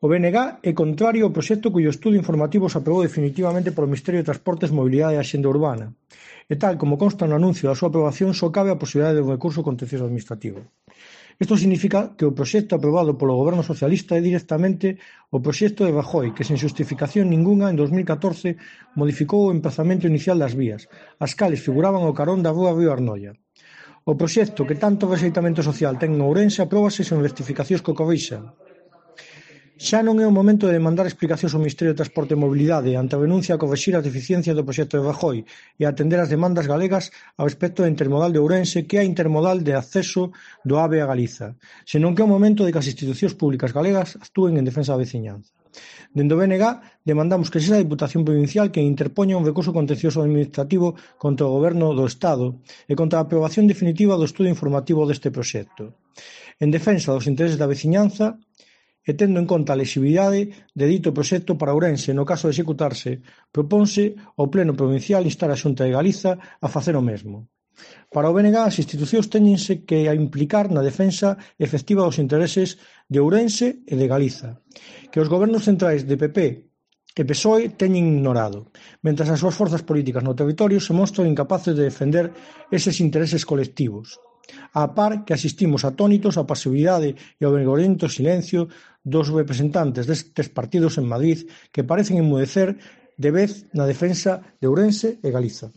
O BNG é contrario ao proxecto cuyo estudo informativo se aprobou definitivamente polo Ministerio de Transportes, Mobilidade e Axenda Urbana, e tal como consta no anuncio da súa aprobación só cabe a posibilidade de un recurso contencioso administrativo. Isto significa que o proxecto aprobado polo Goberno socialista é directamente o proxecto de Rajoy, que sen xustificación ningunha en 2014 modificou o emprazamento inicial das vías, as cales figuraban ao carón da rúa Río Arnoia. O proxecto que tanto rexeitamento social ten en Ourense apróbase sen rectificacións que o corrixan. Xa non é o momento de demandar explicacións ao Ministerio de Transporte e Mobilidade ante a renuncia a corrixir as deficiencias do proxecto de Rajoy e a atender as demandas galegas ao respecto da intermodal de Ourense, que é a intermodal de acceso do AVE a Galiza, senón que é o momento de que as institucións públicas galegas actúen en defensa da veciñanza. Dende o BNG demandamos que sexa a Deputación Provincial quen interpoña un recurso contencioso administrativo contra o Goberno do Estado e contra a aprobación definitiva do estudo informativo deste proxecto. En defensa dos intereses da veciñanza e tendo en conta a lexibilidade de dito proxecto para Ourense no caso de executarse, proponse ao Pleno Provincial instar a Xunta de Galiza a facer o mesmo. Para o BNG, as institucións téñense que implicar na defensa efectiva dos intereses de Ourense e de Galiza, que os gobernos centrais de PP e PSOE teñen ignorado, mentras as súas forzas políticas no territorio se mostran incapaces de defender eses intereses colectivos, á par que asistimos atónitos á pasividade e ao vergoñento silencio dos representantes destes partidos en Madrid que parecen enmudecer de vez na defensa de Ourense e Galiza.